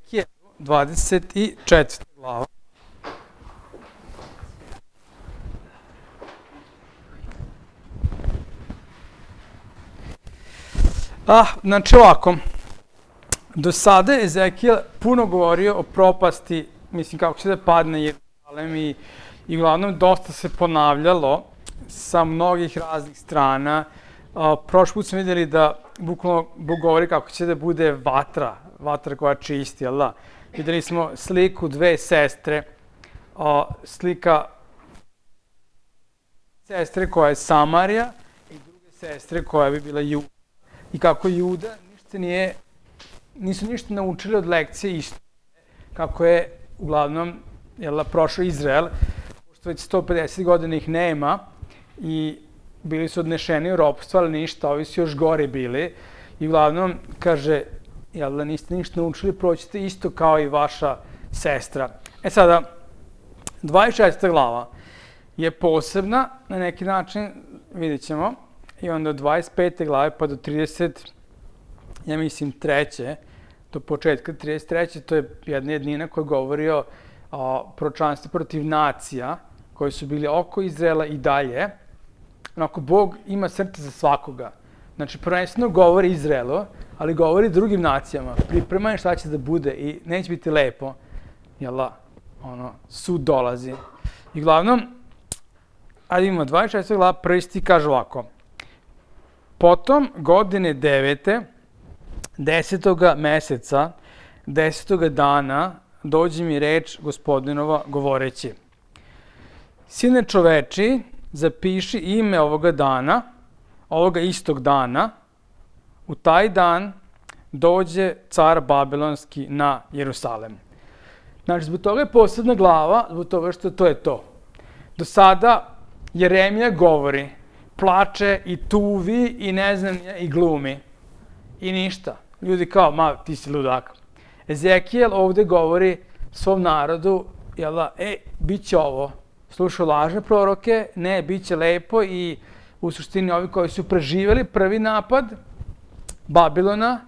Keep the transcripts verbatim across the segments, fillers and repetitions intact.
Ezekijel, dvadeset četvrta glava. Ah, znači ovako, do sada je Ezekijel puno govorio o propasti, mislim kako će da padne Jerusalem i, i uglavnom dosta se ponavljalo sa mnogih raznih strana. Uh, prošli put smo vidjeli da bukvalno Bog govori kako će da bude vatra, vatra koja čisti, jel da? Vidjeli smo sliku dve sestre, uh, slika sestre koja je Samarija i druge sestre koja bi bila Juda. I kako Juda ništa nije, nisu ništa naučili od lekcije istorije, kako je uglavnom jel, prošao Izrael, pošto već sto pedeset godina ih nema i bili su odnešeni u ropstvo, ali ništa, ovi su još gore bili. I uglavnom, kaže, jel da niste ništa naučili, proćete isto kao i vaša sestra. E sada, dvadeset četvrta glava je posebna, na neki način, vidjet ćemo, i onda od dvadeset pete glave pa do trideset, ja mislim, treće, do početka trideset treće, to je jedna jednina koja govori o, o proročanstvu protiv nacija, koji su bili oko Izraela i dalje. Onako, Bog ima srce za svakoga. Znači, prvenstveno govori Izraelu, ali govori drugim nacijama. Pripremaj šta će da bude i neće biti lepo. Jel da? Ono, sud dolazi. I uglavnom, ajde imamo dvadeset četvrta glava, prvi stih kaže ovako. Potom godine devete, desetoga meseca, desetoga dana, dođe mi reč Gospodinova govoreći. Sine čoveči, zapiši ime ovoga dana, ovoga istog dana, u taj dan dođe car Babilonski na Jerusalem. Znači, zbog toga je posebna glava, zbog toga što to je to. Do sada Jeremija govori, plače i tuvi i ne znam, i glumi. I ništa. Ljudi kao, ma, ti si ludak. Ezekijel ovde govori svom narodu, jel da, e, bit će ovo. Slušao lažne proroke, ne, bit će lepo i u suštini ovi koji su preživjeli prvi napad Babilona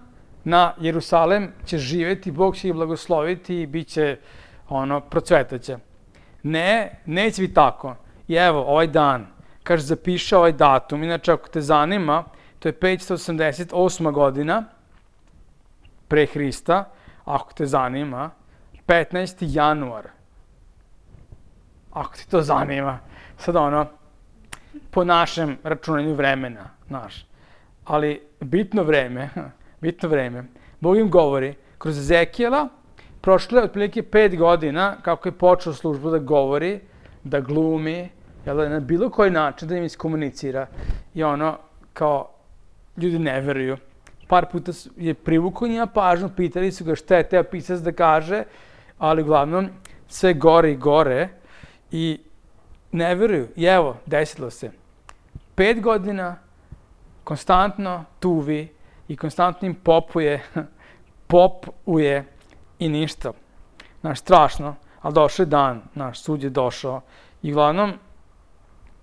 na Jerusalem će živjeti, Bog će ih blagosloviti i bit će, ono, procvetaće. Ne, neće biti tako. I evo, ovaj dan, kaže, zapiše ovaj datum. Inače, ako te zanima, to je petsto osamdeset osma godina pre Hrista. Ako te zanima, petnaesti januar. Ako ti to zanima. Sad ono, po našem računanju vremena, znaš. Ali bitno vreme, bitno vreme. Bog im govori, kroz Ezekijela, prošlo je otprilike pet godina kako je počeo službu da govori, da glumi, jel da, na bilo koji način da im iskomunicira. I ono, kao, ljudi ne veruju. Par puta je privukao njima pažnju, pitali su ga šta je teo pisac da kaže, ali uglavnom sve gore i gore i ne veruju. I evo, desilo se. Pet godina konstantno tuvi i konstantno im popuje, popuje i ništa. Znaš, strašno, ali došao je dan, naš sud je došao. I uglavnom,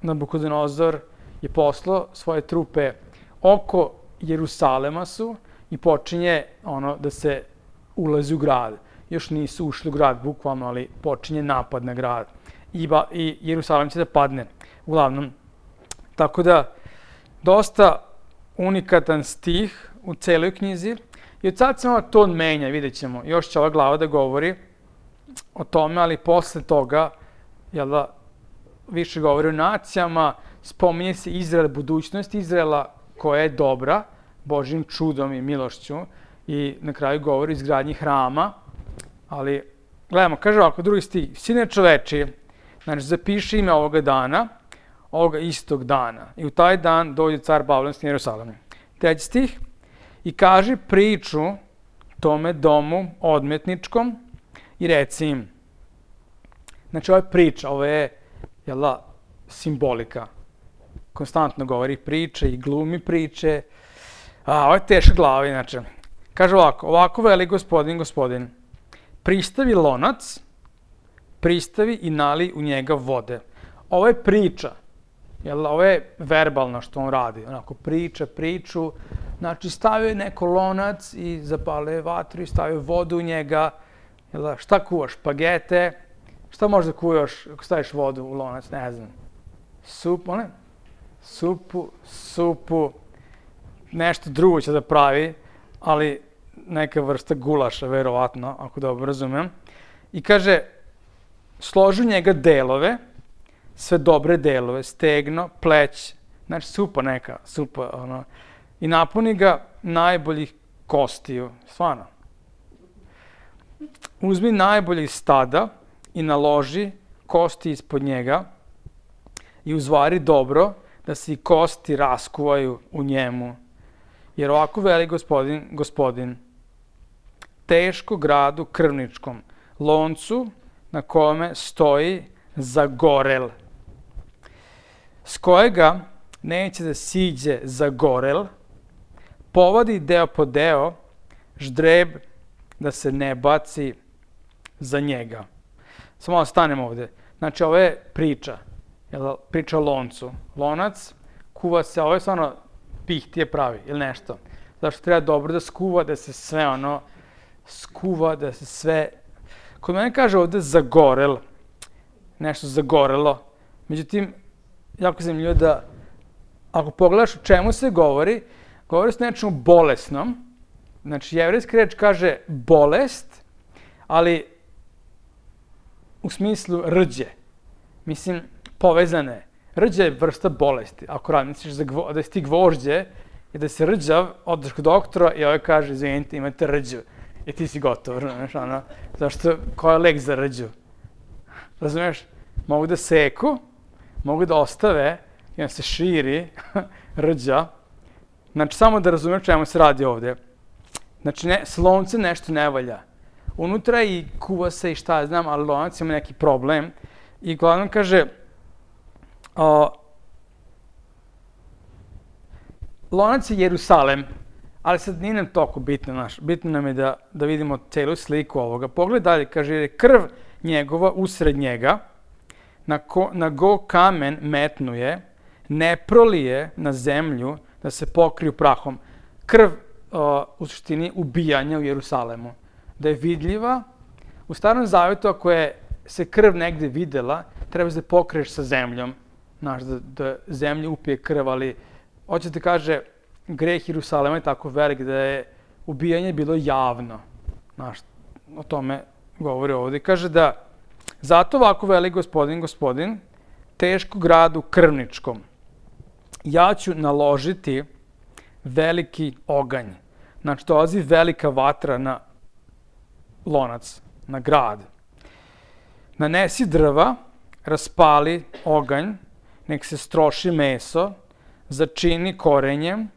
Nabukodonozor je poslao svoje trupe oko Jerusalema su i počinje ono da se ulazi u grad. Još nisu ušli u grad, bukvalno, ali počinje napad na grad. I, ba, i Jerusalem će da padne, uglavnom. Tako da, dosta unikatan stih u celoj knjizi. I od sad se ono ton menja, vidjet ćemo. Još će ova glava da govori o tome, ali posle toga, jel da, više govori o nacijama, spominje se Izrael, budućnost Izraela koja je dobra, Božjim čudom i milošću i na kraju govori o izgradnji hrama, ali gledamo, kaže ovako, drugi stih, sine čoveči, znači zapiši ime ovoga dana, ovoga istog dana i u taj dan dođe car Babilonski na Jerusalem. Treći stih, i kaži priču tome domu odmetničkom i reci im. Znači ovo je priča, ovo je, jel da, simbolika. Konstantno govori priče i glumi priče. A, ovo je teška glava, inače. Kaže ovako, ovako veli gospodin, gospodin, pristavi lonac, pristavi i nali u njega vode. Ovo je priča, jel, ovo je verbalno što on radi, onako priča, priču, znači stavio je neko lonac i zapalio je vatru i stavio vodu u njega Jel da, šta kuvaš? Špagete? Šta možda kuvaš ako staviš vodu u lonac? Ne znam. Supu, ne? Supu, supu, nešto drugo će da pravi, ali neka vrsta gulaša, verovatno, ako dobro razumem. I kaže, složi njega delove, sve dobre delove, stegno, pleć, znači supa neka, supa, ono, i napuni ga najboljih kostiju, stvarno. Uzmi najboljih stada i naloži kosti ispod njega i uzvari dobro da se i kosti raskuvaju u njemu. Jer ovako veli gospodin, gospodin, teško gradu krvničkom, loncu na kome stoji zagorel, s kojega neće da siđe zagorel, povadi deo po deo, ždreb da se ne baci za njega. Samo malo stanemo ovde. Znači, ovo je priča. Jel, priča o loncu. Lonac kuva se, ovo je stvarno pihtije pravi ili nešto. Zašto treba dobro da skuva, da se sve ono skuva, da se sve... Kod mene kaže ovde zagorel, nešto zagorelo. Međutim, jako zanimljivo da ako pogledaš o čemu se govori, govori se nečemu bolesnom. Znači, jevrejski reč kaže bolest, ali u smislu rđe. Mislim, povezane. Rđe je vrsta bolesti. Ako razmisliš da si ti gvožđe i da si rđav, odeš kod doktora i ovaj kaže, izvinite, imate rđu. I ti si gotov, znaš, ono, zašto, ko je lek za rđu? Razumiješ? Mogu da seku, mogu da ostave i onda se širi rđa. Znači, samo da razumiješ čemu se radi ovde. Znači, ne, s loncem nešto ne valja. Unutra i kuva se i šta znam, ali lonac ima neki problem. I glavno kaže, o, lonac je Jerusalem, ali sad nije nam toliko bitno, naš. Bitno nam je da, da vidimo celu sliku ovoga. Pogled dalje, kaže, jer je krv njegova usred njega, na, ko, na go kamen metnuje, ne prolije na zemlju da se pokriju prahom. Krv o, u suštini ubijanja u Jerusalemu. Da je vidljiva, u Starom Zavetu ako je se krv negde videla, treba da pokriješ sa zemljom, znaš, da, da zemlja upije krv, ali hoće da kaže, greh Jerusalema je tako velik da je ubijanje bilo javno. Znaš, o tome govori ovdje. Kaže da, zato ovako veli gospodin, gospodin, teško gradu krvničkom, ja ću naložiti veliki oganj. Znači, dolazi velika vatra na lonac, na grad. Nanesi drva, raspali oganj, nek se stroši meso, začini korenjem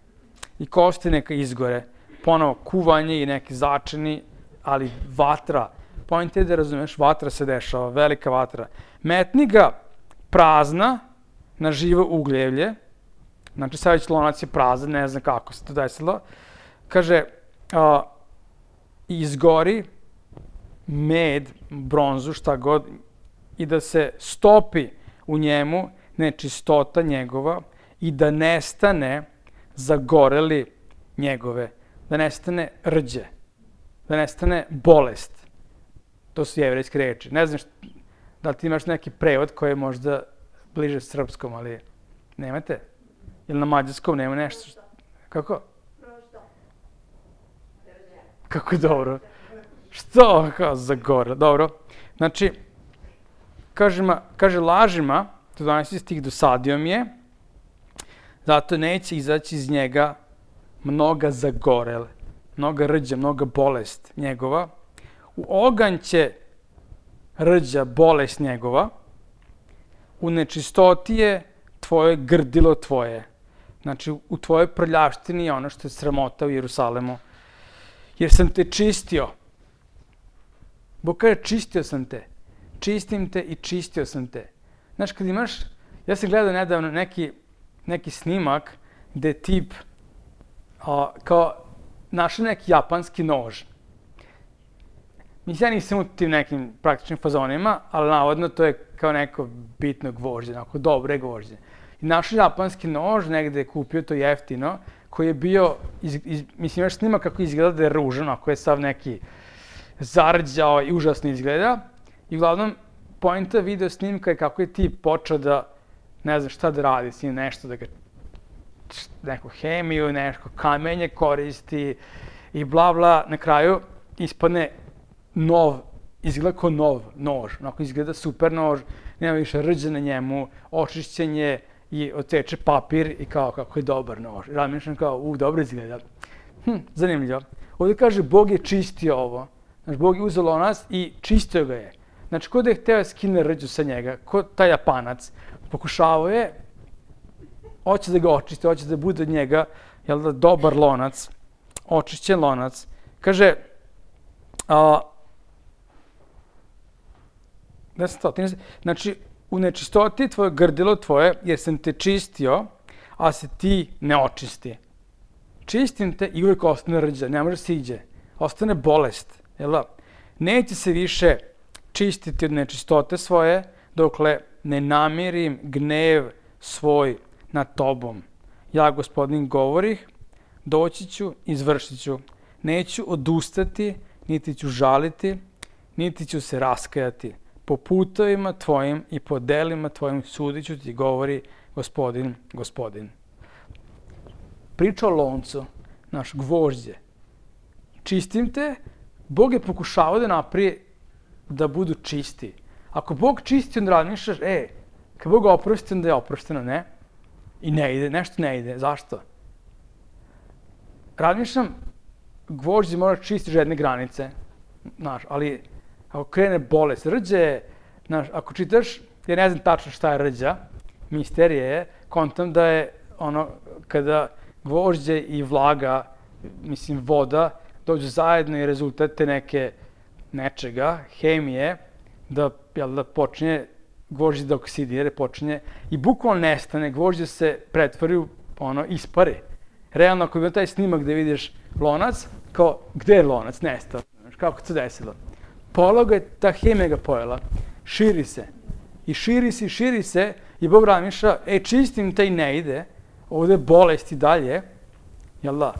i kosti neka izgore. Ponovo kuvanje i neki začini, ali vatra. Point je da razumeš, vatra se dešava, velika vatra. Metni ga prazna na živo ugljevlje. Znači, sad već lonac je prazan, ne znam kako se to desilo. Kaže, a, izgori med, bronzu, šta god, i da se stopi u njemu nečistota njegova i da nestane zagoreli njegove, da nestane rđe, da nestane bolest. To su jevrejske reči. Ne znam šta, da li ti imaš neki prevod koji je možda bliže srpskom, ali nemate? Ili na mađarskom nema nešto? Kako? Kako dobro. Što? Kao zagorelo. Dobro. Znači, kaže, ma, kaže lažima, to dvanaesti stih, dosadio mi je, zato neće izaći iz njega mnoga zagorele, mnoga rđa, mnoga bolest njegova. U oganj će rđa, bolest njegova, u nečistoti je tvoje grdilo tvoje. Znači, u tvojoj prljavštini je ono što je sramota u Jerusalemu. Jer sam te čistio. Bog kaže, čistio sam te. Čistim te i čistio sam te. Znaš, kad imaš, ja sam gledao nedavno neki, neki snimak gde tip a, kao našao neki japanski nož. Mislim, ja nisam u tim nekim praktičnim fazonima, ali navodno to je kao neko bitno gvožđe, neko dobre gvožđe. I našao japanski nož, negde je kupio to jeftino, koji je bio, iz, iz, mislim, imaš snimak kako izgleda da je ružan, ako je sav neki zarđao i užasno izgleda. I uglavnom, poenta video snimka je kako je tip počeo da, ne znam šta da radi, s njim nešto da ga, neku hemiju, nešto kamenje koristi i bla bla. Na kraju ispadne nov, izgleda kao nov nož, onako izgleda super nož, nema više rđa na njemu, očišćenje i oteče papir i kao kako je dobar nož. I razmišljam kao, u, dobro izgleda. Hm, zanimljivo. Ovdje kaže, Bog je čistio ovo. Znači, Bog je uzeo lonac i čistio ga je. Znači, ko da je hteo skine rđu sa njega, ko taj Japanac, pokušavao je, hoće da ga očisti, hoće da bude od njega, jel da, dobar lonac, očišćen lonac. Kaže, a, da sam to, znači, u nečistoti tvoje grdilo tvoje, jer sam te čistio, a se ti ne očisti. Čistim te i uvijek ostane rđa, ne može se iđe. Ostane bolest, jel da? Neće se više čistiti od nečistote svoje, dokle ne namirim gnev svoj nad tobom. Ja, Gospodin, govorih, doći ću, izvršit ću. Neću odustati, niti ću žaliti, niti ću se raskajati. Po putovima tvojim i po delima tvojim sudit ću ti, govori Gospodin, Gospodin. Priča o loncu, naš gvožđe. Čistim te, Bog je pokušavao da naprije da budu čisti. Ako Bog čisti, onda razmišljaš, e, kad Bog oprosti, onda je oprošteno, ne? I ne ide, nešto ne ide. Zašto? Razmišljam, gvožđe mora čistiti jedne granice, znaš, ali ako krene bolest, rđa je, znaš, ako čitaš, ja ne znam tačno šta je rđa, misterije je, kontam da je ono, kada gvožđe i vlaga, mislim voda, dođu zajedno i rezultate neke, nečega, hemije, da, jel, da počinje gvožđe da oksidira, počinje i bukvalno nestane, gvožđe se pretvori u, ono, ispari. Realno, ako ima taj snimak gde vidiš lonac, kao, gde je lonac? Nestao. Kako se desilo? Pologa je, ta hemija ga pojela, širi se. I širi se, i širi se, i Bog razmišlja, e, čistim taj ne ide, ovde je bolest i dalje, jel da?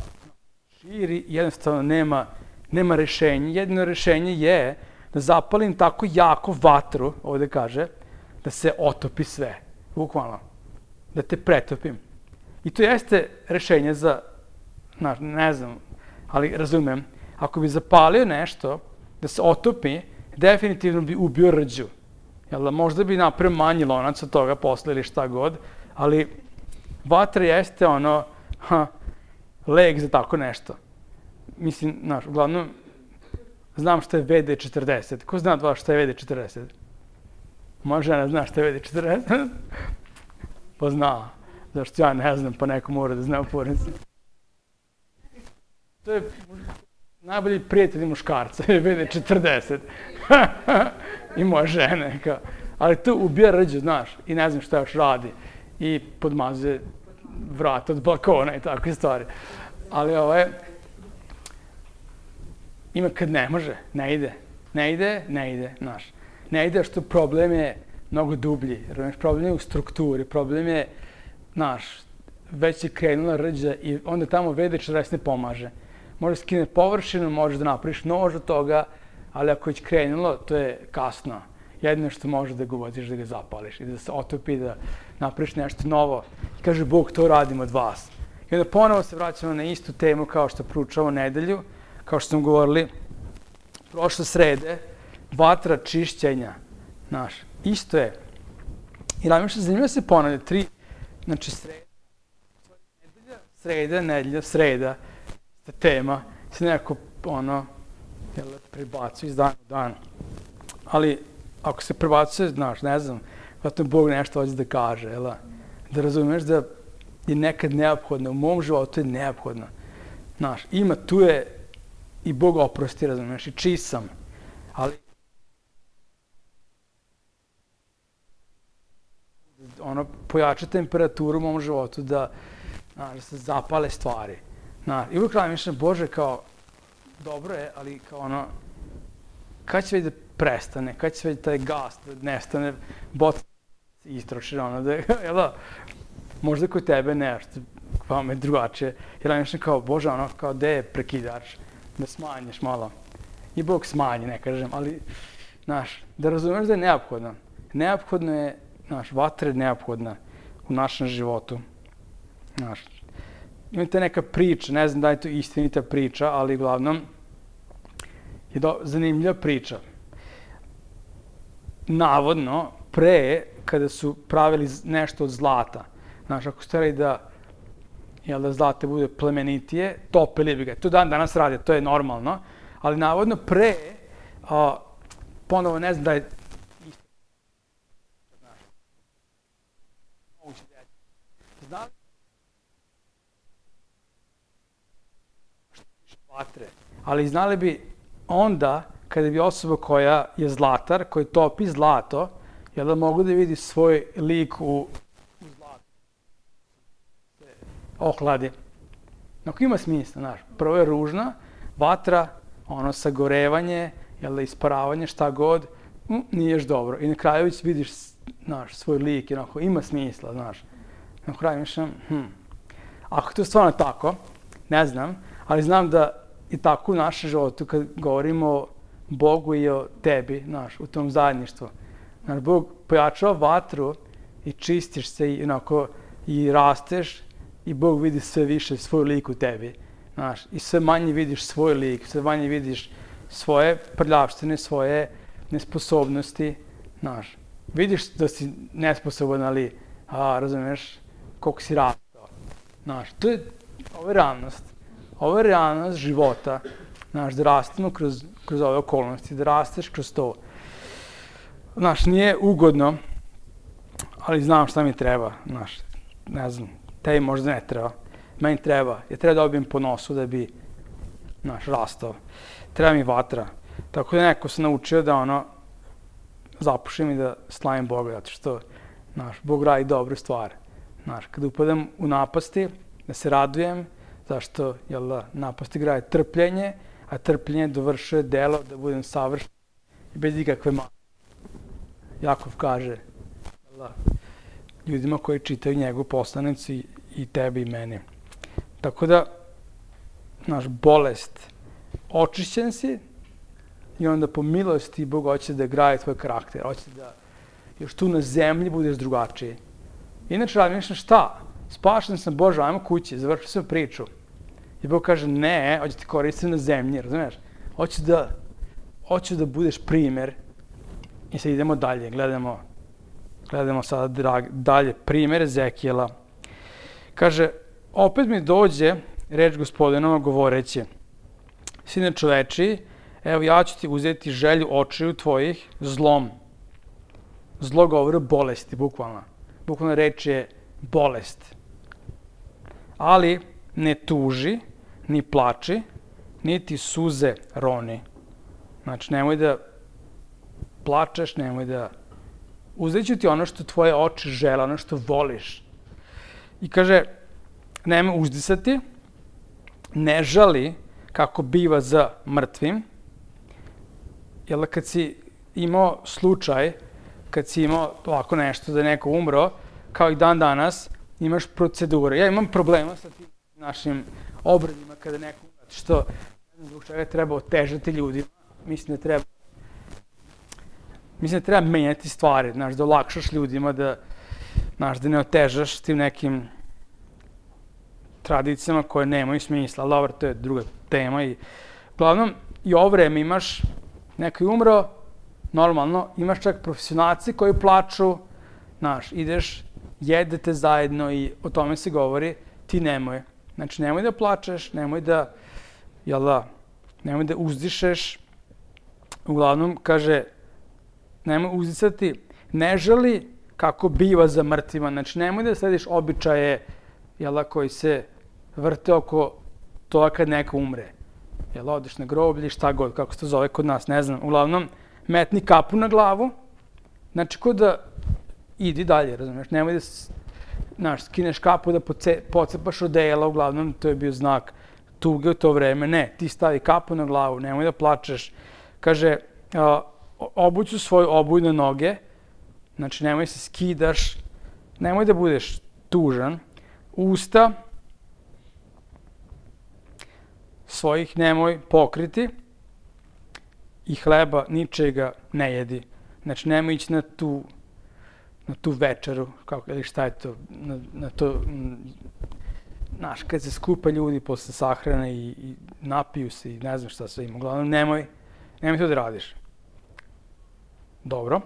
Širi, jednostavno nema, nema rešenja. Jedino rešenje je da zapalim tako jako vatru, ovde kaže, da se otopi sve, bukvalno, da te pretopim. I to jeste rešenje za, znaš, ne znam, ali razumem, ako bi zapalio nešto, da se otopi, definitivno bi ubio rđu. Jel da, možda bi napravio manji lonac od toga posle ili šta god, ali vatra jeste ono, ha, lek za tako nešto. Mislim, znaš, uglavnom, znam šta je V D četrdeset. Ko zna od vas šta je V D četrdeset? Moja žena zna šta je V D četrdeset? Pa zna. Zašto ja ne znam, pa neko mora da zna u porodici. To je najbolji prijatelj muškarca, je V D četrdeset. I moja žena. Kao. Ali to ubija rđu, znaš, i ne znam šta još radi. I podmazuje vrat od balkona i takve stvari. Ali ovo je, ima kad ne može, ne ide. Ne ide, ne ide, znaš. Ne ide što problem je mnogo dublji. Problem je u strukturi, problem je, znaš, već je krenula rđa i onda tamo V D četrdeset ne pomaže. Može skine površinu, možeš da napraviš nož od toga, ali ako je krenulo, to je kasno. Jedino što može da ga uvoziš, da ga zapališ i da se otopi, da napraviš nešto novo. I kaže, Bog, to radim od vas. I onda ponovo se vraćamo na istu temu kao što proučavamo nedelju, kao što smo govorili prošle srede, vatra čišćenja, znaš, isto je. I razmišljam, zanimljivo se ponavlja, tri, znači sreda, nedelja, sreda, nedelja, sreda, ta tema, se nekako, ono, jel, prebacuje iz dana u dan. Ali, ako se prebacuje, znaš, ne znam, zato Bog nešto hoće da kaže, jel, da razumeš da je nekad neophodno, u mom životu je neophodno. Znaš, ima, tu je i Bog oprosti, razumeš, i čist sam, ali ono, pojača temperaturu u mom životu da, znaš, da se zapale stvari. Znaš, i uvijek razmišljam, Bože, kao, dobro je, ali kao ono, kad će već da prestane, kad će već taj gas da nestane, bot istroši, ono, da, jel da, možda kod tebe nešto, pa me drugačije, jer razmišljam kao, Bože, ono, kao, gde je prekidač, da smanjiš malo. i Bog smanji, ne kažem, ali, znaš, da razumeš da je neophodno. Neophodno je, znaš, vatra je neophodna u našem životu. Znaš, imate neka priča, ne znam da je to istinita priča, ali uglavnom je do, zanimljiva priča. Navodno, pre, kada su pravili nešto od zlata, znaš, ako stvari da, jel da zlate bude plemenitije, topili bi ga. To dan danas rade, to je normalno, ali navodno pre, a, ponovo ne znam da je isto. Znaš, moguće da je. Znali što piše vatre, ali znali bi onda, kada bi osoba koja je zlatar, koji topi zlato, jel da mogu da vidi svoj lik u, u zlatu. Ohladi. Ako ima smisla, znaš, prvo je ružna, vatra, ono sagorevanje, jel da isparavanje, šta god, m, nije još dobro. I na kraju već vidiš, znaš, svoj lik, i onako, ima smisla, znaš. Na kraju mišljam, hm, ako je to stvarno tako, ne znam, ali znam da i tako u našem životu, kad govorimo o Bogu i o tebi, znaš, u tom zajedništvu. Znaš, Bog pojačava vatru i čistiš se i onako, i rasteš i Bog vidi sve više svoj lik u tebi. Znaš, i sve manje vidiš svoj lik, sve manje vidiš svoje prljavštine, svoje nesposobnosti, znaš. Vidiš da si nesposoban, ali, a, razumeš, koliko si rastao. Znaš, to je, ovo je realnost. Ovo je realnost života. Znaš, da rastemo kroz, kroz ove okolnosti, da rasteš kroz to. Znaš, nije ugodno, ali znam šta mi treba, znaš, ne znam, tebi možda ne treba. Meni treba, ja treba da dobijem po nosu da bi, znaš, rastao. Treba mi vatra. Tako da neko se naučio da ono, zapušim i da slavim Boga, zato što, znaš, Bog radi dobre stvari. Znaš, kada upadam u napasti, da se radujem, zašto, jel da, napasti grade trpljenje, a trpljenje dovršuje delo da budem savršen i bez ikakve mane. Jakov kaže, jel da, ljudima koji čitaju njegovu poslanicu i, i tebi i meni. Tako da, naš bolest, očišćen si i onda po milosti Bog hoće da gradi tvoj karakter, hoće da još tu na zemlji budeš drugačiji. Inače, razmišljam šta? Spašen sam, Bože, ajmo kući, završio sam priču. I Bog kaže, ne, hoće ti koristiti na zemlji, razumiješ? Hoću da, hoću da budeš primer. I sad idemo dalje, gledamo, gledamo sada drag, dalje primer Ezekijela. Kaže, opet mi dođe reč Gospodinova govoreći, sine čoveči, evo ja ću ti uzeti želju očiju tvojih zlom. Zlo govori o bolesti, bukvalno. Bukvalno reč je bolest. Ali ne tuži, ni plači, niti suze roni. Znači, nemoj da plačeš, nemoj da... Uzet ću ti ono što tvoje oči žele, ono što voliš. I kaže, nemoj uzdisati, ne žali kako biva za mrtvim. Jer kad si imao slučaj, kad si imao ovako nešto da je neko umro, kao i dan danas, imaš procedure. Ja imam problema sa tim našim obradima kada neko umre, što ne znam zbog čega treba otežati ljudima. Mislim da treba Mislim da treba menjati stvari, znaš, da olakšaš ljudima, da, znaš, da ne otežaš tim nekim tradicijama koje nemaju smisla. Ali dobro, to je druga tema. I, uglavnom, i ovo vreme imaš, neko je umro, normalno, imaš čak profesionalci koji plaču, znaš, ideš, jedete zajedno i o tome se govori, ti nemoj. Znači, nemoj da plačeš, nemoj da, jel da, nemoj da uzdišeš. Uglavnom, kaže, nemoj uzdisati, ne žali kako biva za mrtvima. Znači, nemoj da slediš običaje, jel da, koji se vrte oko toga kad neko umre. Jel da, odeš na groblje, šta god, kako se to zove kod nas, ne znam. Uglavnom, metni kapu na glavu, znači, kod da idi dalje, razumiješ, nemoj da, znaš, skineš kapu da pocepaš odela, uglavnom, to je bio znak tuge u to vreme. Ne, ti stavi kapu na glavu, nemoj da plačeš. Kaže, a, obuću svoje obujne noge, znači nemoj se skidaš, nemoj da budeš tužan, usta svojih nemoj pokriti i hleba ničega ne jedi. Znači, nemoj ići na tu, na tu večeru, kako, ili šta je to, na, na to, znaš, kad se skupa ljudi posle sahrane i, i napiju se i ne znam šta sve ima. Uglavnom, nemoj, nemoj to da radiš. Dobro.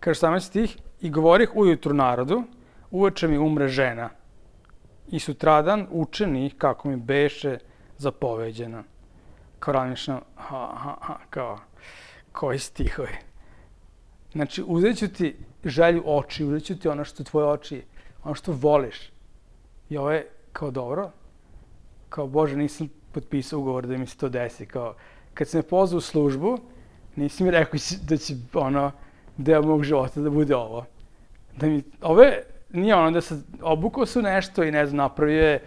Kaže samo stih, i govorih ujutru narodu, uveče mi umre žena. I sutradan učeni kako mi beše zapoveđena. Kao razmišljam, ha, ha, ha, kao, koji stihovi. Znači, uzet ću ti želju oči, uzet ću ti ono što tvoje oči, ono što voliš. I ovo je kao dobro, kao Bože, nisam potpisao ugovor da mi se to desi. Kao, kad sam me pozvao u službu, nisi mi rekao da će ono, deo mog života da bude ovo. Da mi, ove, nije ono da se obukao su nešto i ne znam, napravio je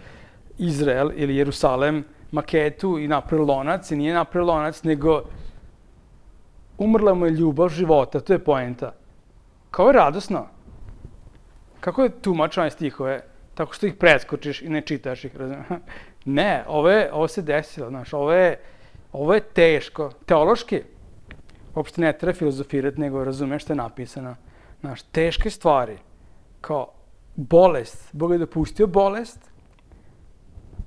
Izrael ili Jerusalem maketu i napravio lonac i nije napravio lonac, nego umrla mu je ljubav života, to je poenta. Kao je radosno. Kako je tumač ove stihove? Tako što ih preskočiš i ne čitaš ih, razumiješ? Ne, ovo, je, ovo se desilo, znaš, ovo je, ovo je teško. Teološki, uopšte ne treba filozofirati, nego razumeš što je napisano. Znaš, teške stvari, kao bolest, Bog je dopustio bolest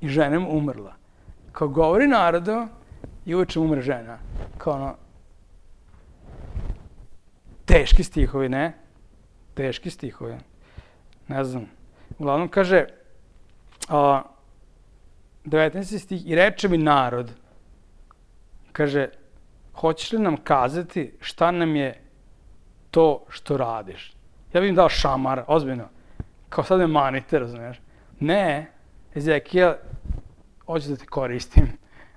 i žena mu umrla. Kao govori narodu i uveče umre žena. Kao ono, teški stihovi, ne? Teški stihovi. Ne znam. Uglavnom kaže, a, devetnaesti stih, i reče mi narod, kaže, hoćeš li nam kazati šta nam je to što radiš? Ja bih im dao šamar, ozbiljno. Kao sad me manite, razumiješ? Ne, Ezekijel, hoću da te koristim.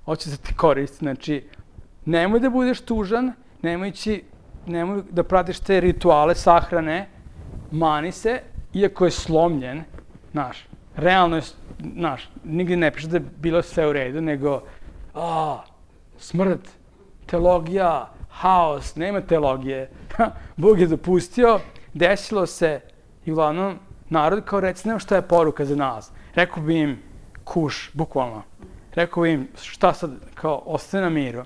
Hoću da te koristim. Znači, nemoj da budeš tužan, nemoj, ići, nemoj da pratiš te rituale sahrane, mani se, iako je slomljen, znaš, realno je, znaš, nigdje ne piše da je bilo sve u redu, nego, a, smrt, teologija, haos, nema teologije. Bog je dopustio, desilo se i uglavnom narod kao reci, nema šta je poruka za nas. Rekao bi im kuš, bukvalno. Rekao bi im šta sad, kao ostane na miru.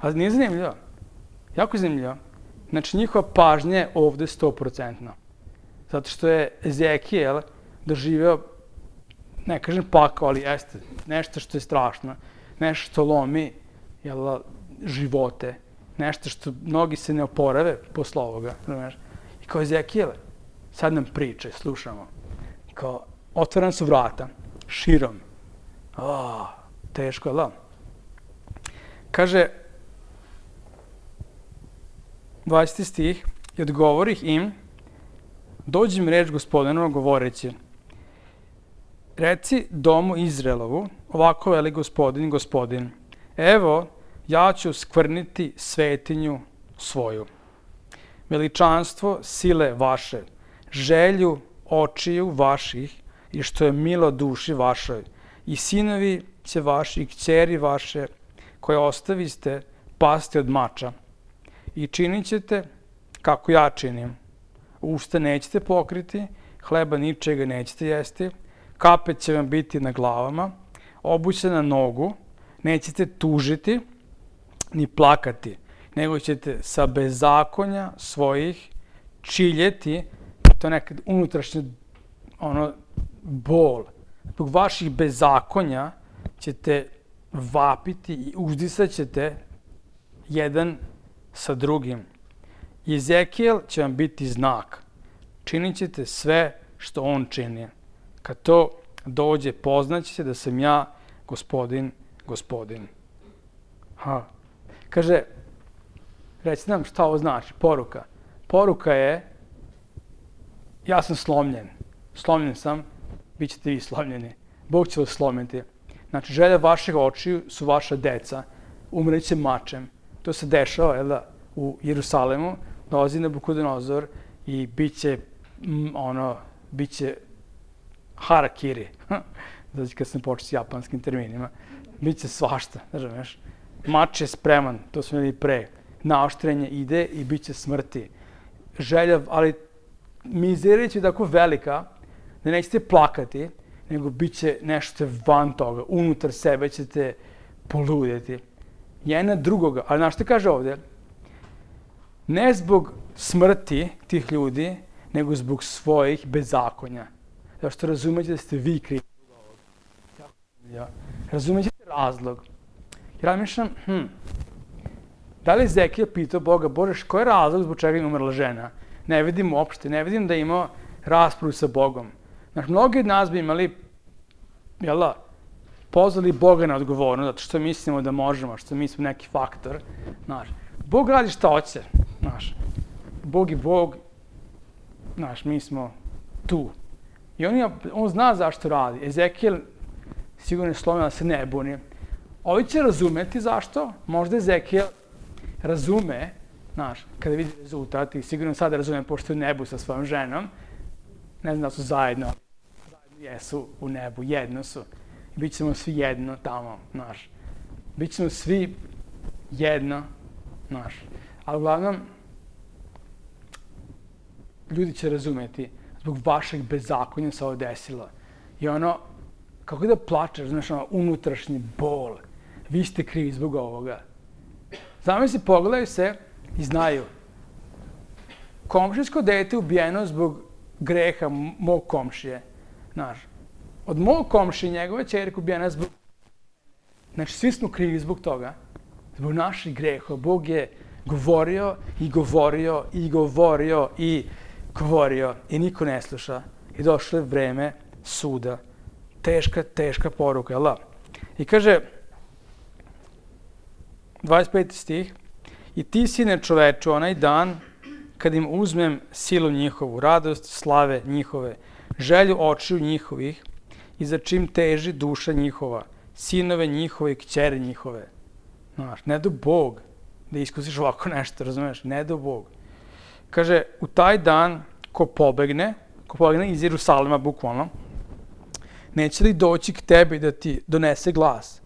A nije zanimljivo. Jako zanimljivo. Znači njihova pažnja je ovde sto procentno. Zato što je Ezekijel doživeo, ne kažem pakao, ali jeste nešto što je strašno. Nešto što lomi jel, živote. Nešto što mnogi se ne oporave posle ovoga. Znaš. I kao Ezekijel, sad nam priče, slušamo. Kao, otvorena su vrata, širom. O, teško, da. Kaže, dvadeseti stih, i odgovorih im, dođi mi reč Gospodinova govoreći, reci domu Izraelovu, ovako veli Gospodin, Gospodin, evo, ja ću skvrniti svetinju svoju, veličanstvo sile vaše, želju očiju vaših i što je milo duši vašoj, i sinovi će vaši i kćeri vaše, koje ostaviste, pasti od mača. I činit ćete kako ja činim. Usta nećete pokriti, hleba ničega nećete jesti, kapet će vam biti na glavama, obuće na nogu, nećete tužiti ni plakati, nego ćete sa bezakonja svojih čiljeti, to je nekad unutrašnja ono, bol. Zbog vaših bezakonja ćete vapiti i uzdisat ćete jedan sa drugim. Ezekijel će vam biti znak. Činit ćete sve što on čini. Kad to dođe, poznaćete da sam ja gospodin, gospodin. Ha. Kaže, reci nam šta ovo znači, poruka. Poruka je, ja sam slomljen. Slomljen sam, bit ćete vi slomljeni. Bog će vas slomiti. Znači, želje vaših očiju su vaša deca. Umreće mačem. To se dešava, jel da, u Jerusalemu. Dolazi Nabukodonozor i bit će, mm, ono, bit će harakiri. Znači, kad sam počeo s japanskim terminima. Bit će svašta, znaš. Mač je spreman, to smo imali pre. Naoštrenje ide i bit će smrti. Želja, ali mizerija će tako velika da nećete plakati, nego bit će nešto van toga. Unutar sebe ćete poludjeti. jedan drugoga. Ali znaš što kaže ovde? Ne zbog smrti tih ljudi, nego zbog svojih bezakonja. Zato što razumete da ste vi krivi zbog ovoga. Razumete razlog. Ja razmišljam, hm, da li Ezekija pitao Boga, Bože, koji je razlog zbog čega je umrla žena? Ne vidim uopšte, ne vidim da je imao raspravu sa Bogom. Znaš, mnogi od nas bi imali, jel da, pozvali Boga na odgovornost, zato što mislimo da možemo, što mi smo neki faktor. Znaš, Bog radi šta hoće, znaš. Bog je Bog, znaš, mi smo tu. I on, je, on zna zašto radi. Ezekijel sigurno je slomio da se ne buni. Ovi će razumeti zašto. Možda Ezekijel razume, znaš, kada vidi rezultat i sigurno sada razume pošto je u nebu sa svojom ženom. Ne znam da su zajedno, zajedno jesu u nebu, jedno su. I bit ćemo svi jedno tamo, znaš. Bit ćemo svi jedno, znaš. Ali uglavnom, ljudi će razumeti zbog vašeg bezakonja se ovo desilo. I ono, kako da plačeš, znaš, ono, unutrašnji bol. Vi ste krivi zbog ovoga. Zamisli, pogledaju se i znaju. Komšijsko dete ubijeno zbog greha mog komšije. Znaš, od mog komšije njegove ćerke ubijena zbog... Znači, svi smo krivi zbog toga. Zbog naših greha. Bog je govorio i govorio i govorio i govorio i niko ne sluša. I došlo je vreme suda. Teška, teška poruka, jel da? I kaže, dvadeset peti stih, i ti, sine čoveče, onaj dan kad im uzmem silu njihovu, radost slave njihove, želju očiju njihovih i za čim teži duša njihova, sinove njihove i kćeri njihove. Znaš, ne do Bog da iskusiš ovako nešto, razumeš? Ne do Bog. Kaže, u taj dan ko pobegne, ko pobegne iz Jerusalima, bukvalno, neće li doći k tebi da ti donese glas?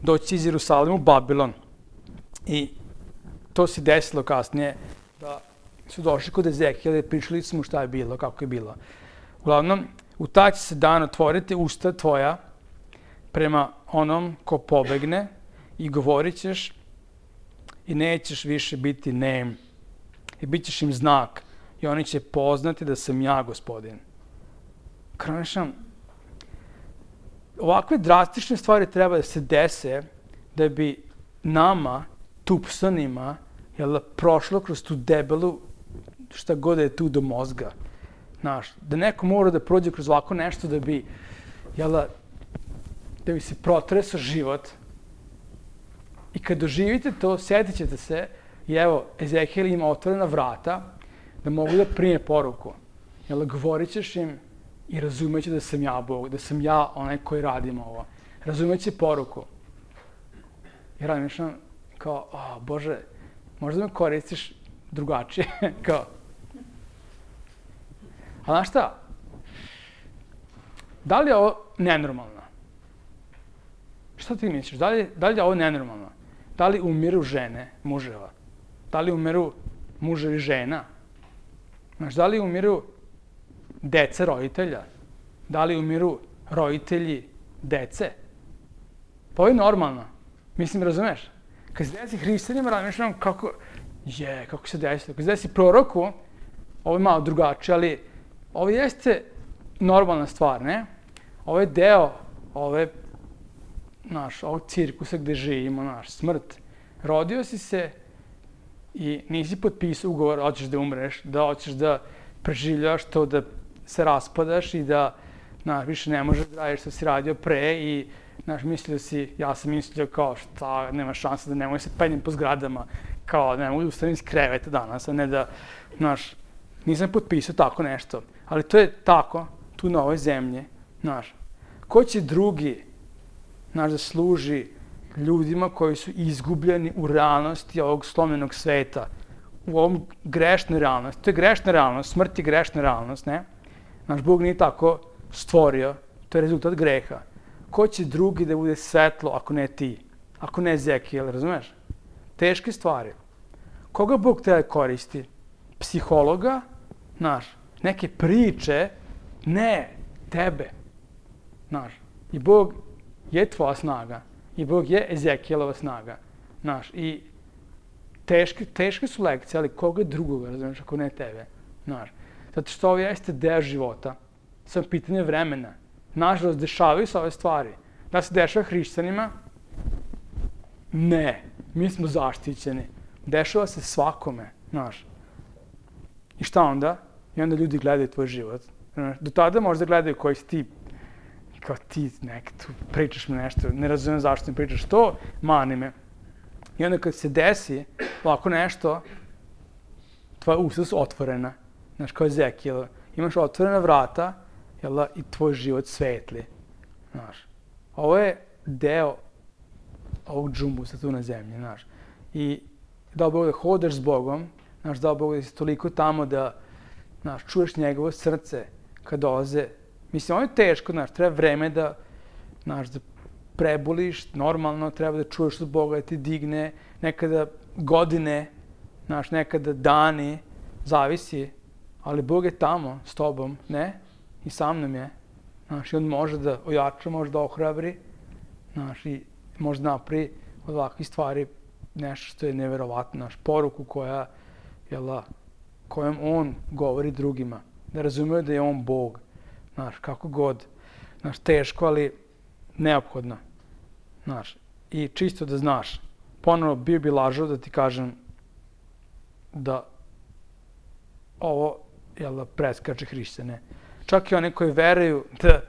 Doći iz Jerusalima u Babilon. I to se desilo kasnije, da su došli kod Ezekijela i pričali su mu šta je bilo, kako je bilo. Uglavnom, u taj će se dan otvoriti usta tvoja prema onom ko pobegne i govorit ćeš i nećeš više biti nem. I bit ćeš im znak i oni će poznati da sam ja Gospodin. Kranišam, ovakve drastične stvari treba da se dese da bi nama, tupsanima, jel, prošlo kroz tu debelu, šta god je tu do mozga. Znaš, da neko mora da prođe kroz ovako nešto da bi, jel, da bi se protresao život. I kad doživite to, sjetit ćete se, i evo, Ezekijel ima otvorena vrata da mogu da prime poruku. Jel, govorit ćeš im i razumeće da sam ja Bog, da sam ja onaj koji radim ovo. Razumeće poruku. I razmišljam kao, o, Bože, možda me koristiš drugačije, kao. A znaš šta? Da li je ovo nenormalno? Šta ti misliš? Da li, da li je ovo nenormalno? Da li umiru žene, muževa? Da li umiru muževi žena? Znaš, da li umiru dece roditelja? Da li umiru roditelji dece? Pa ovo je normalno. Mislim, razumeš? Kad se desi hrišćanima, razmišljam kako, je, kako se desilo. Kad se desi proroku, ovo je malo drugačije, ali ovo jeste normalna stvar, ne? Ovo je deo ove, naš, ovog cirkusa gde živimo, naš, smrt. Rodio si se i nisi potpisao ugovor, hoćeš da umreš, da hoćeš da preživljaš to, da se raspadaš i da, znaš, više ne možeš da radiš što si radio pre i, znaš, mislio si, ja sam mislio kao šta, nema šanse da ne mogu se penjem po zgradama, kao ne mogu da ustanem iz kreveta danas, a ne da, znaš, nisam potpisao tako nešto. Ali to je tako, tu na ovoj zemlji, znaš. Ko će drugi, znaš, da služi ljudima koji su izgubljeni u realnosti ovog slomljenog sveta, u ovom grešnoj realnosti. To je grešna realnost, smrt je grešna realnost, ne? Naš Bog nije tako stvorio, to je rezultat greha. Ko će drugi da bude svetlo ako ne ti? Ako ne Ezekijel, razumeš? Teške stvari. Koga Bog treba koristi? Psihologa? Znaš, neke priče? Ne, tebe. Znaš, i Bog je tvoja snaga. I Bog je Ezekijelova snaga. Znaš, i teške, teške su lekcije, ali koga drugoga, razumiješ, ako ne tebe, znaš. Zato što ovo jeste deo života, samo pitanje vremena. Nažalost, dešavaju se ove stvari. Da se dešava hrišćanima? Ne, mi smo zaštićeni. Dešava se svakome, znaš. I šta onda? I onda ljudi gledaju tvoj život. Do tada možda gledaju koji si ti, kao ti nek tu pričaš mi nešto, ne razumijem zašto mi pričaš to, mani me. I onda kad se desi ovako nešto, tvoja usta su otvorena, znaš, kao Ezekijel, imaš otvorena vrata, jel da, i tvoj život svetli, znaš. Ovo je deo ovog džumbusa tu na zemlji, znaš. I dao Bog da hodaš s Bogom, znaš, dao Bog da si toliko tamo da, znaš, čuješ njegovo srce kad dolaze. Mislim, ovo je teško, znaš, treba vreme da, znaš, da prebuliš, normalno, treba da čuješ od Boga da ti digne, nekada godine, znaš, nekada dani, zavisi, ali Bog je tamo s tobom, ne? I sa mnom je, znaš, i on može da ojača, može da ohrabri, znaš, i može da napravi od ovakvih stvari nešto što je neverovatno, znaš, poruku koja, jel, kojom on govori drugima, da razumiju da je on Bog, znaš, kako god, znaš, teško, ali neophodno, znaš, i čisto da znaš, ponovno bio bi lažao da ti kažem da ovo, jel, preskače hrišćane. Čak i oni koji veruju da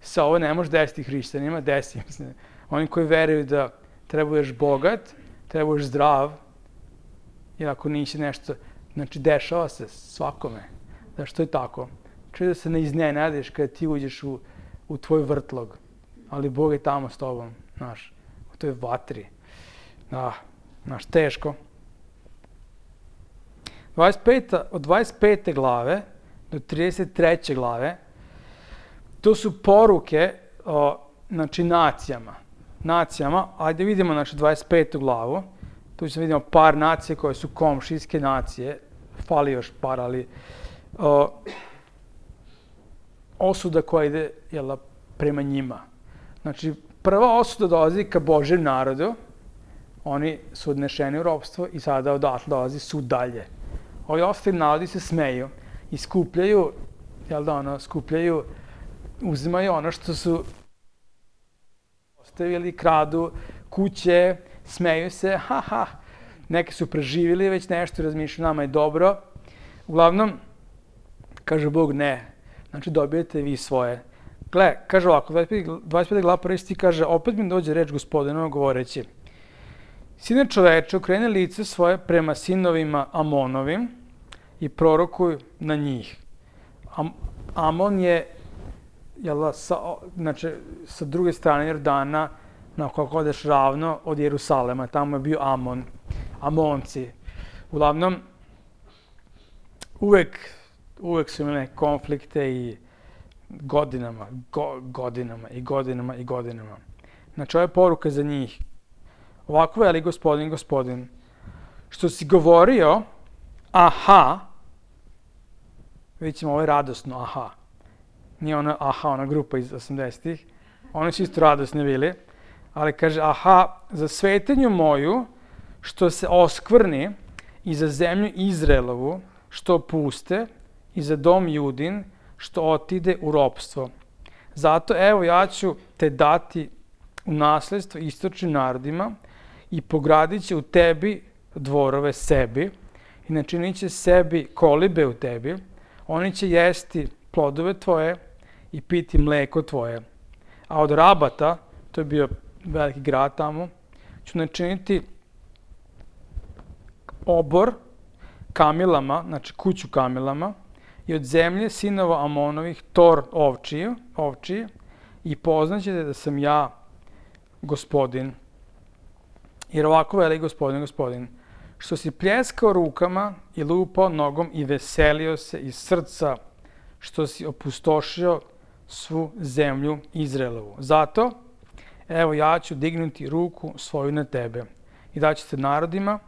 se ovo ne može desiti hrišćanima, desi, mislim, oni koji veruju da treba budeš bogat, treba budeš zdrav, jer ako nisi nešto, znači dešava se svakome, da što je tako. Čuj da se ne iznenadiš kada ti uđeš u, u tvoj vrtlog, ali Bog je tamo s tobom, znaš, u toj vatri. Da, znaš, teško. dvadeset peta, od dvadeset pete glave do trideset treće glave, to su poruke, o, znači, nacijama. Nacijama, ajde vidimo, znači, dvadeset petu glavu, tu ćemo vidimo par nacije koje su komšijske nacije, fali još par, ali o, osuda koja ide, jel, prema njima. Znači, prva osuda dolazi ka Božjem narodu, oni su odnešeni u ropstvo i sada odatle dolazi sud dalje. Ovi ostali narodi se smeju i skupljaju, jel da ono, skupljaju, uzimaju ono što su ostavili, kradu kuće, smeju se, ha, ha, neki su preživjeli već nešto, razmišljaju, nama je dobro. Uglavnom, kaže Bog, ne, znači dobijete vi svoje. Gle, kaže ovako, dvadeset peta glava prvi stih kaže, opet mi dođe reč Gospodinova govoreći, Sine čoveče, okreni lice svoje prema sinovima Amonovim i prorokuj na njih. Am, Amon je, jel, sa, znači, sa druge strane Jordana, na kako odeš ravno od Jerusalema, tamo je bio Amon, Amonci. Uglavnom, uvek, uvek su imali konflikte i godinama, go, godinama i godinama i godinama. Znači, ovo je poruka za njih. Ovako veli Gospodin, Gospodin, što si govorio, aha, vidjet ćemo, ovo je radosno, aha. Nije ona, aha, ona grupa iz osamdesetih, oni su isto radosni bili, ali kaže, aha, za svetinju moju, što se oskvrni, i za zemlju Izraelovu, što puste, i za dom Judin, što otide u ropstvo. Zato, evo, ja ću te dati u nasledstvo istočnim narodima i pogradit će u tebi dvorove sebi i načinit će sebi kolibe u tebi. Oni će jesti plodove tvoje i piti mleko tvoje. A od Rabata, to je bio veliki grad tamo, ću načiniti obor kamilama, znači kuću kamilama, i od zemlje sinova Amonovih tor ovčiju, ovčiji, i poznaćete da sam ja Gospodin. Jer ovako veli Gospodin, Gospodin, što si pljeskao rukama i lupao nogom i veselio se iz srca, što si opustošio svu zemlju Izraelovu. Zato, evo, ja ću dignuti ruku svoju na tebe i daću te narodima,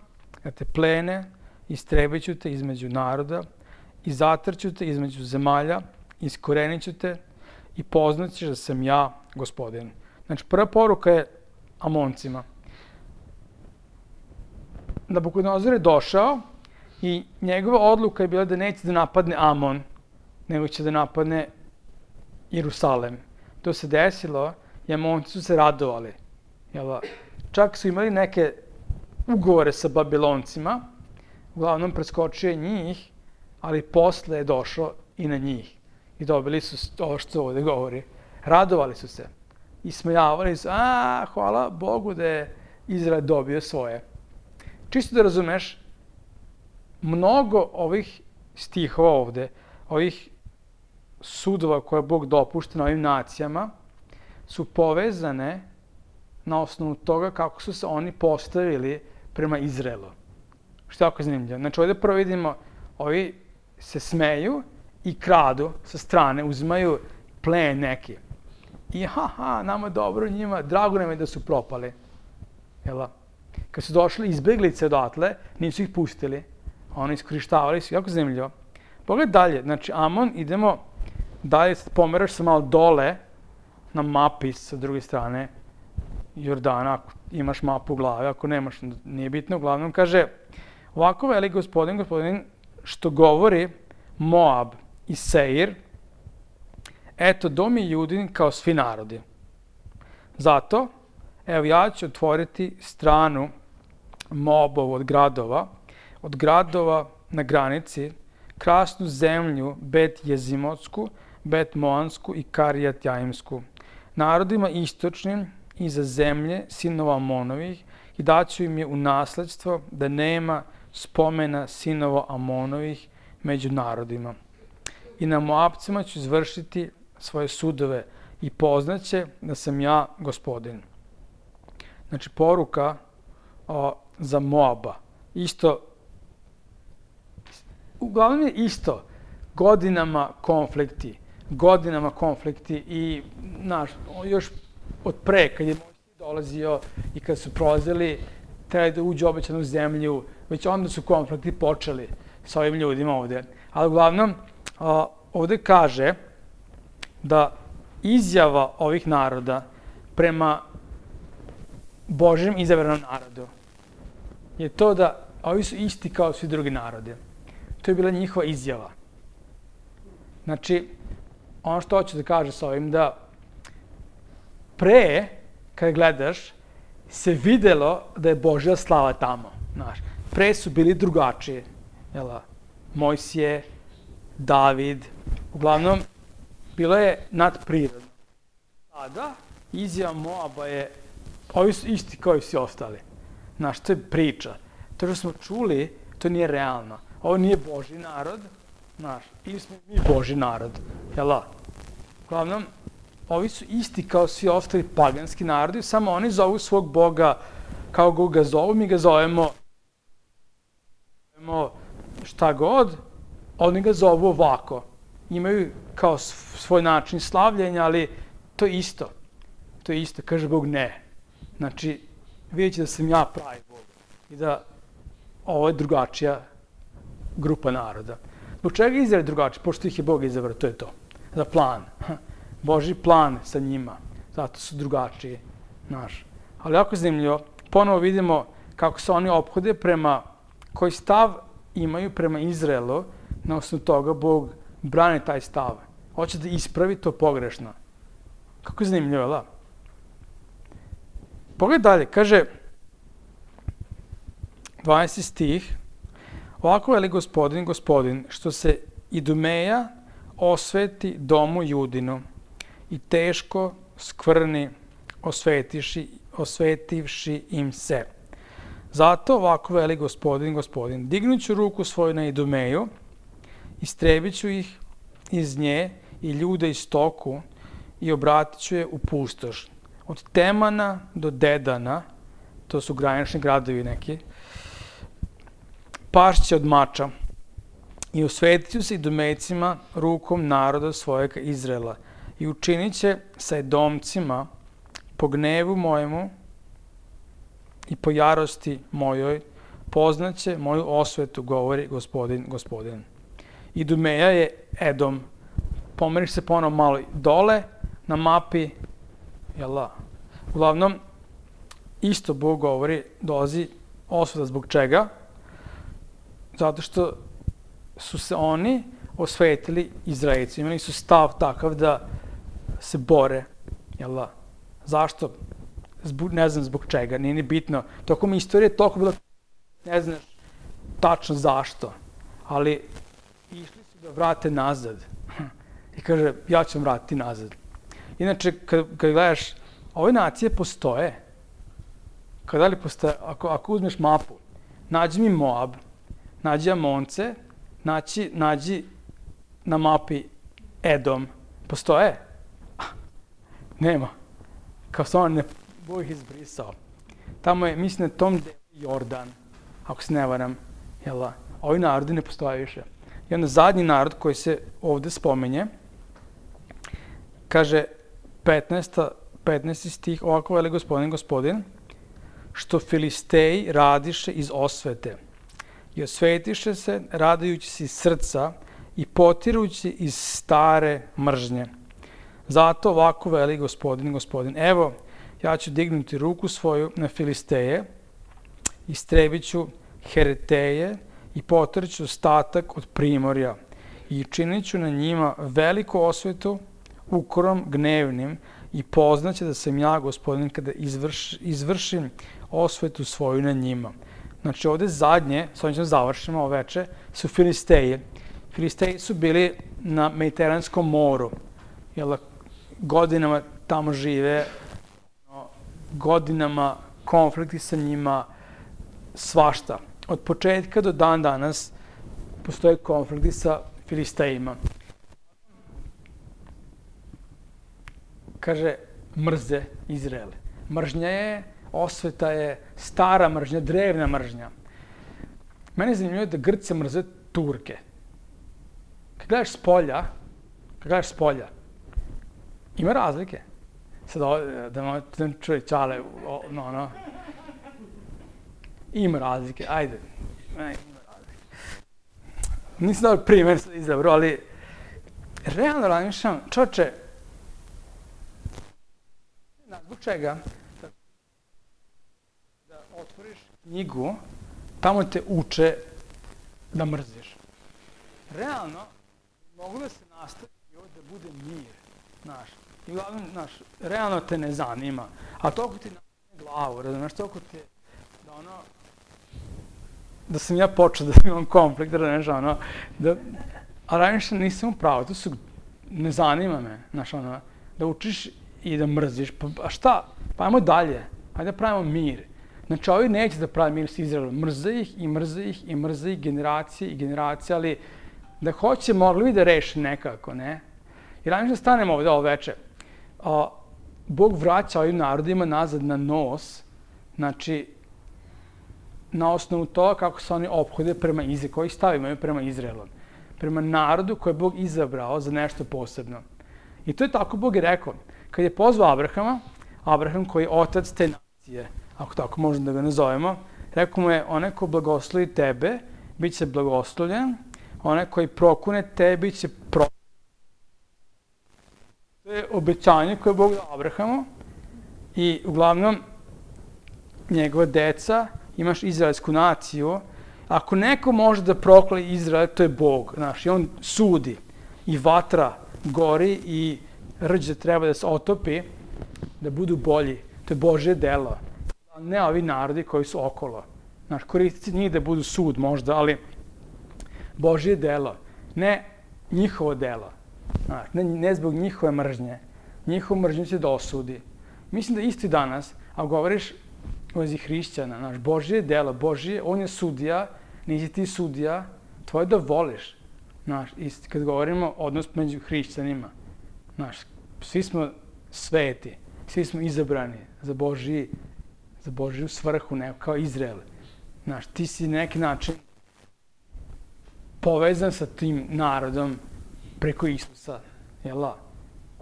da te plene, istrebit ću te između naroda i zatrću te između zemalja, iskorenit ću te i poznaćeš da sam ja Gospodin. Znači, prva poruka je Amoncima. Nabukodonozor je došao i njegova odluka je bila da neće da napadne Amon, nego će da napadne Jerusalem. To se desilo i Amonci su se radovali. Jel, čak su imali neke ugovore sa Babiloncima, uglavnom preskočio je njih, ali posle je došao i na njih. I dobili su ovo što ovde govori. Radovali su se. I smejavali su, a, hvala Bogu da je Izrael dobio svoje. Čisto da razumeš, mnogo ovih stihova ovde, ovih sudova koje Bog dopušta na ovim nacijama, su povezane na osnovu toga kako su se oni postavili prema Izraelu. Što je jako zanimljivo. Znači, ovde prvo vidimo, ovi se smeju i kradu sa strane, uzimaju plen neki. I ha, ha, nama dobro, njima, drago nam je da su propali. Jel? Kad su došli izbeglice odatle, nisu ih pustili. Oni iskorištavali su, jako zanimljivo. Pogledaj dalje, znači Amon, idemo dalje, pomeraš se malo dole na mapi sa druge strane Jordana, ako imaš mapu u glavi, ako nemaš, nije bitno, uglavnom kaže, ovako veli gospodin, gospodin, što govori Moab i Seir, eto, dom je Judin kao svi narodi. Zato, evo, ja ću otvoriti stranu Moabovu od gradova, od gradova na granici, krasnu zemlju Bet Jezimotsku, Bet Moansku i Karijat Jaimsku, narodima istočnim iza zemlje sinova Amonovih i daću im je u nasledstvo da nema spomena sinova Amonovih među narodima. I na Moabcima ću izvršiti svoje sudove i poznaće da sam ja gospodin. Znači, poruka o, za Moaba. Isto, uglavnom je isto, godinama konflikti, godinama konflikti i, znaš, još od pre, kad je Mojsije dolazio i kad su prolazili, trebali da uđu u obećanu zemlju, već onda su konflikti počeli sa ovim ljudima ovde. Ali uglavnom, o, ovde kaže da izjava ovih naroda prema Božjem izabranom narodu je to da ovi su isti kao svi drugi narodi. To je bila njihova izjava. Znači, ono što hoću da kaže sa ovim, da pre, kada gledaš, se videlo da je Božja slava tamo. Znaš, pre su bili drugačiji. Jel, Mojsije, David, uglavnom, bilo je nadprirodno. Sada, izjava Moaba je, ovi su isti kao i svi ostali. Znaš, to je priča. To što smo čuli, to nije realno. Ovo nije Božji narod, znaš, ili smo mi Božji narod. Jel? Uglavnom, ovi su isti kao svi ostali paganski narodi, samo oni zovu svog Boga kao ga zovu, mi ga zovemo, zovemo šta god, oni ga zovu ovako. Imaju kao svoj način slavljenja, ali to je isto. To je isto, kaže Bog ne. Znači, vidjet će da sam ja pravi Bog i da ovo je drugačija grupa naroda. Zbog čega je Izrael drugačiji? Pošto ih je Bog izabrao, to je to. Za plan. Božji plan sa njima. Zato su drugačiji. Znaš. Ali jako zanimljivo, ponovo vidimo kako se oni ophode prema, koji stav imaju prema Izraelu, na osnovu toga Bog brani taj stav. Hoće da ispravi to pogrešno. Kako je zanimljivo, da? Pogledaj dalje, kaže dvanaesti stih, ovako veli gospodin, gospodin, što se Idumeja osveti domu Judinu i teško skvrni osvetiši, osvetivši im se. Zato ovako veli gospodin, gospodin, dignuću ruku svoju na Idumeju, istrebit ću ih iz nje i ljude iz stoku i obratit ću je u pustoš. Od Temana do Dedana, to su granični gradovi neki, pašće od mača i osvetit ću se Idumejcima rukom naroda svojega Izraela i učinit će sa Edomcima po gnevu mojemu i po jarosti mojoj, poznaće moju osvetu, govori gospodin, gospodin. Idumeja je Edom. Pomeriš se ponovo malo dole na mapi, jel da? Uglavnom, isto Bog govori, dolazi osveta zbog čega? Zato što su se oni osvetili Izraelci. Imali su stav takav da se bore. Jel da? Zašto? Zbog, ne znam zbog čega, nije ni bitno. Tokom istorije toliko bilo, ne znaš tačno zašto, ali išli su da vrate nazad. I kaže, ja ću vam vratiti nazad. Inače, kad, kad gledaš, ove nacije postoje. Kada li postoje, ako, ako uzmeš mapu, nađi mi Moab, nađi Amonce, nađi, nađi na mapi Edom. Postoje? Nema. Kao samo ne, Bog ih izbrisao. Tamo je, mislim, na tom delu Jordan, ako se ne varam, jel? Ovi narodi ne postoje više. I onda zadnji narod koji se ovde spomenje, kaže petnaesti stih, ovako veli gospodin, gospodin, što Filisteji radiše iz osvete i osvetiše se radajući se iz srca i potirući iz stare mržnje. Zato ovako veli gospodin, gospodin, evo, ja ću dignuti ruku svoju na Filisteje, istrebit ću Hereteje i potrću ostatak od primorja i činit ću na njima veliku osvetu ukorom gnevnim i poznaće da sam ja, gospodin, kada izvrš, izvršim osvetu svoju na njima. Znači ovde zadnje, s ovim ćemo završimo ovo veče, su Filisteji. Filisteji su bili na Mediteranskom moru. Jel, godinama tamo žive, godinama konflikti sa njima, svašta. Od početka do dan danas postoje konflikti sa Filistejima. Kaže, mrze Izraele. Mržnja je, osveta je, stara mržnja, drevna mržnja. Mene je zanimljivo da Grci mrze Turke. Kad gledaš s polja, kad gledaš s polja, ima razlike. Sad ovo, da da čuje čale, no, no. Ima razlike, ajde. Ima razlike. Nisam dao primjer sad izabro, ali realno razmišljam, čoče, zbog čega? Da, da otvoriš knjigu, tamo te uče da mrziš. Realno, mogu da se nastavi da bude mir, znaš. I uglavnom, znaš, realno te ne zanima. A toliko ti nastavne glavu, razumiješ, toliko ti da ono, da sam ja počeo da imam konflikt, da razumiješ, ono, da, a razmišljam, nisam upravo, to su, ne zanima me, znaš, ono, da učiš i da mrziš, pa a šta, pa ajmo dalje, ajde da pravimo mir. Znači, ovi neće da pravi mir s Izraelom, mrze ih i mrze ih i mrze ih generacije i generacije, ali da hoće, mogli bi da reši nekako, ne? I razmišljam, stanemo ovde ovo veče. A, Bog vraća ovim narodima nazad na nos, znači, na osnovu toga kako se oni ophode prema Izraelu, koji stav imaju prema Izraelu, prema narodu koje je Bog izabrao za nešto posebno. I to je tako Bog je rekao. Kad je pozvao Abrahama, Abraham koji je otac te nacije, ako tako možemo da ga nazovemo, rekao mu je, onaj ko blagoslovi tebe, bit će blagoslovljen, onaj koji prokune tebe, bit će prokune. To je obećanje koje je Bog dao Abrahamu i uglavnom njegova deca, imaš izraelsku naciju, ako neko može da proklali Izrael, to je Bog, znaš, i on sudi i vatra gori i rđe treba da se otopi, da budu bolji. To je Božje delo. Ne ovi narodi koji su okolo. Znaš, koristiti njih da budu sud možda, ali Božje delo. Ne njihovo delo. Znaš, ne, ne zbog njihove mržnje. Njihovu mržnju će da osudi. Mislim da isto i danas, a govoriš u vezi hrišćana, znaš, Božje delo, Božje, on je sudija, nisi ti sudija, tvoje da voliš. Znaš, i kad govorimo odnos među hrišćanima, znaš, svi smo sveti, svi smo izabrani za Božji, za Božju svrhu, neko kao Izrael. Znaš, ti si na neki način povezan sa tim narodom preko Isusa, jel'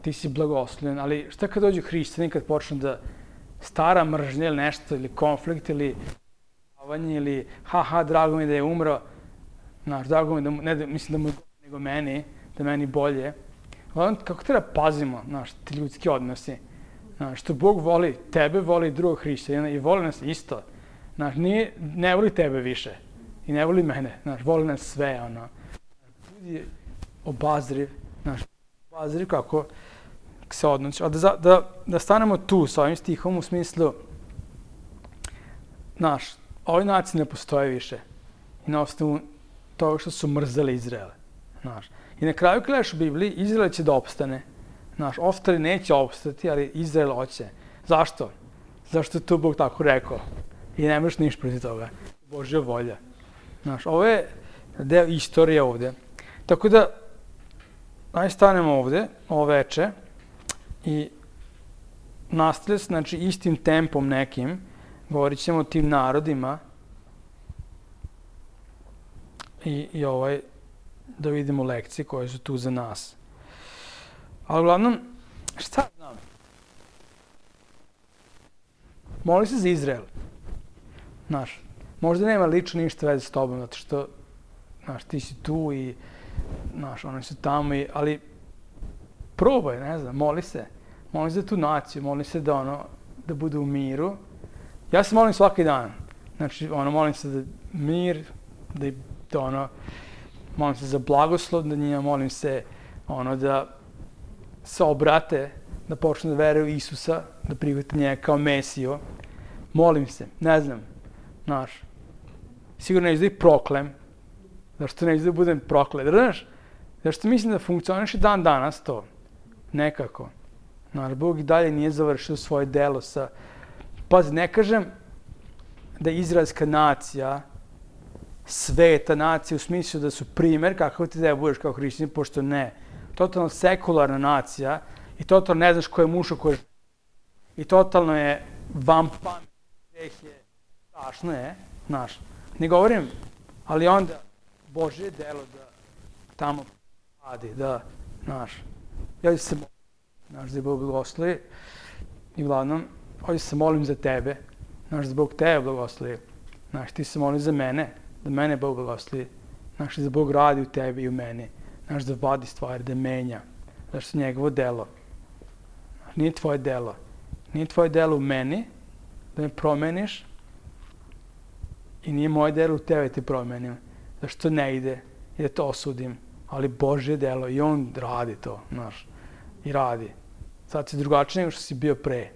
ti si blagoslovljen, ali šta kad dođu hrišćani, kad počnu da stara mržnja ili nešto, ili konflikt, ili avanje, ili haha, drago mi da je umro, znaš, drago mi da, ne da, mislim da mu je nego meni, da meni bolje. Ali kako treba pazimo, znaš, ti ljudski odnosi. Znaš, što Bog voli, tebe voli drugog hrišćanina i voli nas isto. Znaš, nije, ne voli tebe više. I ne voli mene. Znaš, voli nas sve, ono. Budi obazriv. Znaš, obazriv kako se odnosi. A da, da, da stanemo tu sa ovim stihom u smislu, znaš, ovoj naciji ne postoje više. I na osnovu toga što su mrzeli Izraele. Znaš. I na kraju gledaš u Bibliji, Izrael će da opstane. Znaš, ostali neće opstati, ali Izrael hoće. Zašto? Zašto je to Bog tako rekao? I ne možeš ništa protiv toga. Božja volja. Znaš, ovo je deo istorije ovde. Tako da, aj stanemo ovde, ovo veče, i nastavlja se, znači, istim tempom nekim, govorit ćemo o tim narodima i, i ovaj, da vidimo lekcije koje su tu za nas. Ali uglavnom, šta znam? Moli se za Izrael. Znaš, možda nema lično ništa veze s tobom, zato što, znaš, ti si tu i, znaš, oni su tamo, i, ali probaj, ne znam, moli se. Moli se za tu naciju, moli se da, ono, da bude u miru. Ja se molim svaki dan. Znači, ono, molim se za mir, da, da ono, molim se za blagoslov da njima, molim se, ono, da se obrate, da počnu da veruju Isusa, da prihvate njega kao Mesiju. Molim se, ne znam, znaš, sigurno neću da ih proklem, zašto neću da budem proklet, znaš, zašto mislim da funkcioniše dan danas to, nekako. Znaš, Bog i dalje nije završio svoje delo sa, pazi, ne kažem da je izraelska nacija sveta nacija u smislu da su primer kako ti da budeš kao hrišćanin, pošto ne. Totalno sekularna nacija i totalno ne znaš ko je muško, ko je žena. I totalno je van pamet, greh je, strašno je, znaš. Ne govorim, ali onda Božje delo da tamo radi, da, znaš. Ja se molim, znaš, da je Bog blagoslovi i uglavnom, ovdje se molim za tebe, znaš, da Bog tebe blagoslovi. Znaš, ti se molim za mene, da mene Bog blagoslovi. Znaš, da Bog radi u tebi i u meni. Znaš, da vadi stvari, da menja. Znaš, što je njegovo delo. Znaš, nije tvoje delo. Nije tvoje delo u meni, da me promeniš, i nije moje delo u tebe te promenim. Zašto ne ide i da to osudim. Ali Božje delo i on radi to, znaš. I radi. Sad si drugačiji nego što si bio pre.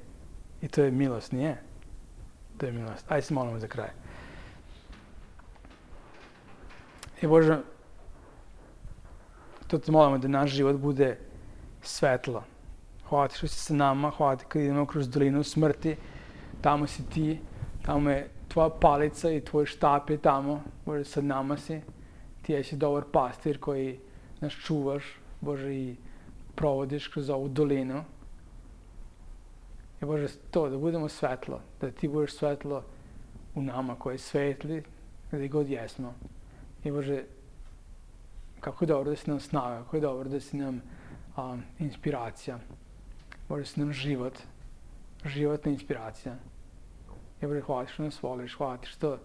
I to je milost, nije? To je milost. Ajde se molimo za kraj. I Bože, to te molimo da naš život bude svetlo. Hvala ti što si sa nama, hvala ti kad idemo kroz dolinu smrti, tamo si ti, tamo je tvoja palica i tvoj štap je tamo, Bože, sa nama si. Ti jesi dobar pastir koji nas čuvaš, Bože, i provodiš kroz ovu dolinu. I Bože, to, da budemo svetlo, da ti budeš svetlo u nama koji je svetli, gdje god jesmo. I Bože, kako je dobro da si nam snaga, kako je dobro da si nam um, inspiracija. Bože, da si nam život, životna inspiracija. I Bože, hvala ti što nas voliš, hvala ti što,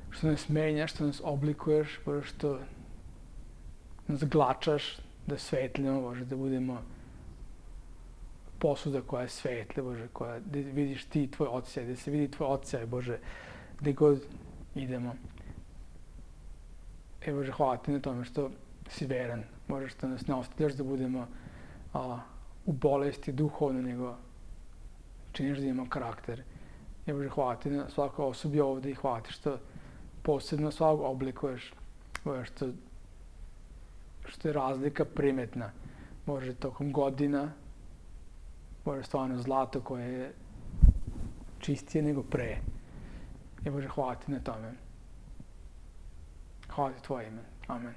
što nas menjaš, što nas oblikuješ, Bože, što nas glačaš, da svetlimo, Bože, da budemo posuda koja je svetla, Bože, koja, da vidiš ti tvoj odsjaj, da se vidi tvoj odsjaj, Bože, gdje god idemo. I Bože, hvala ti na tome što si veran, Bože, što nas ne ostavljaš da budemo a, u bolesti duhovno, nego činiš da imamo karakter. I Bože, hvala ti na svakoj osobi ovdje i hvala ti što posebno svakog oblikuješ, Bože, što, što je razlika primetna, Bože, tokom godina, Bože, stvarno zlato koje je čistije nego pre. I Bože, hvala ti na tome. Hvala ti tvoje ime. Amen.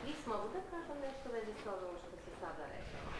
Lis, mogu da kažem nešto vezi s ovim što si sada rekao?